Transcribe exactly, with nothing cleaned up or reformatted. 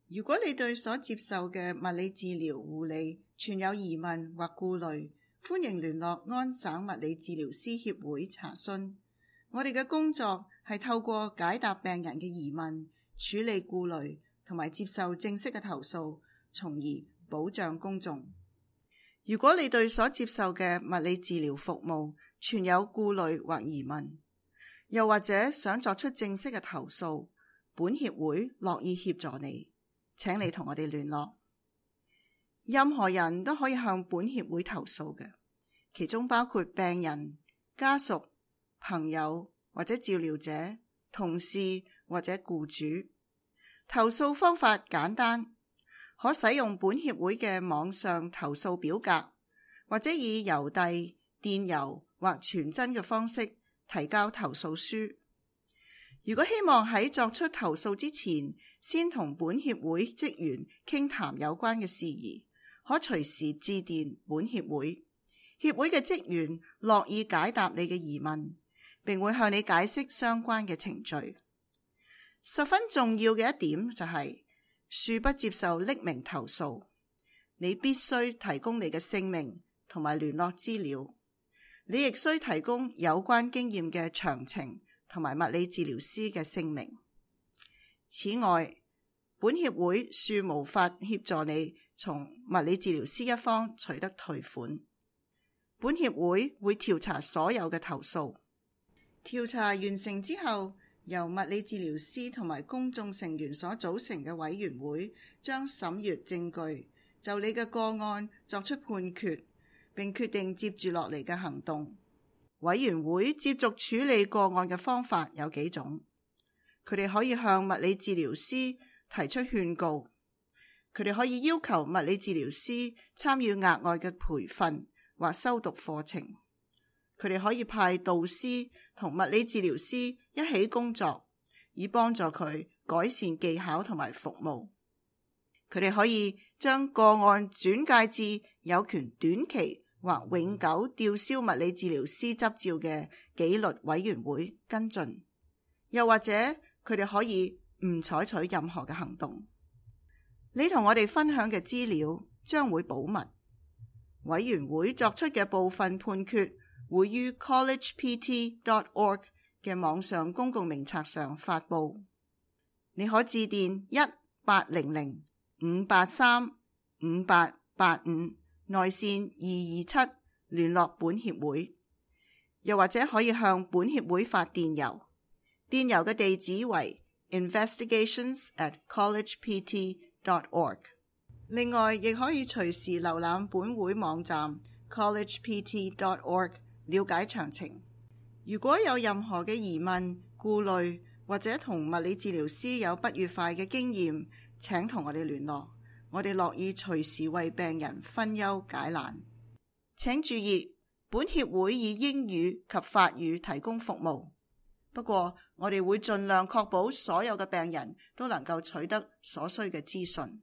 如果你對所接受嘅物理治療護理存有疑問或顧慮，歡迎聯絡安省物理治療師協會查詢。我哋嘅工作係透過解答病人嘅疑問、處理顧慮同埋接受正式嘅投訴，從而保障公眾。如果你對所接受嘅物理治療服務存有顧慮或疑問，又或者想作出正式嘅投訴，本協會樂意協助你。請你同我哋聯絡。任何人都可以向本協會投訴嘅，其中包括病人、家屬、朋友或者照料者、同事或者僱主。投訴方法簡單，可使用本協會嘅網上投訴表格，或者以郵遞、電郵或傳真嘅方式提交投訴書。如果希望喺作出投訴之前，先同本協會職員傾談有關嘅事宜，可隨時致電本協會。協會嘅職員樂意解答你嘅疑問，並會向你解釋相關嘅程序。十分重要嘅一點就係，恕不接受匿名投訴。你必須提供你嘅姓名同埋聯絡資料。你亦需提供有關經驗嘅詳情同埋物理治療師嘅姓名。此外，本協會恕無法協助你從物理治療師一方取得退款。本協會會調查所有嘅投訴。調查完成之後，由物理治療師同埋公眾成員所組成嘅委員會將審閱證據，就你嘅個案作出判決，並決定接住落嚟嘅行動。委員會接續處理個案嘅方法有幾種，佢哋可以向物理治療師提出勸告，佢哋可以要求物理治療師參與額外嘅培訓或修讀課程，佢哋可以派導師同物理治療師一起工作，以幫助佢改善技巧同埋服務。佢哋可以將個案轉介至有權短期或永久吊銷物理治療師執照嘅紀律委員會跟進，又或者佢哋可以唔採取任何嘅行動。你同我哋分享嘅資料將會保密，委員會作出嘅部分判決會於 college p t dot org 嘅網上公共名冊上發布。你可致電一八零零五八三五八八五內線二二七聯絡本協會，又或者可以向本協會發電郵，電郵嘅地址為 investigations at college p t dot org。 另外，亦可以隨時瀏覽本會網站 college p t dot org 了解詳情。如果有任何嘅疑問、顧慮，或者同物理治療師有不愉快嘅經驗，請同我哋聯絡。我哋樂意隨時為病人分憂解難。請注意，本協會以英語及法語提供服務，不過我哋會盡量確保所有嘅病人都能夠取得所需嘅資訊。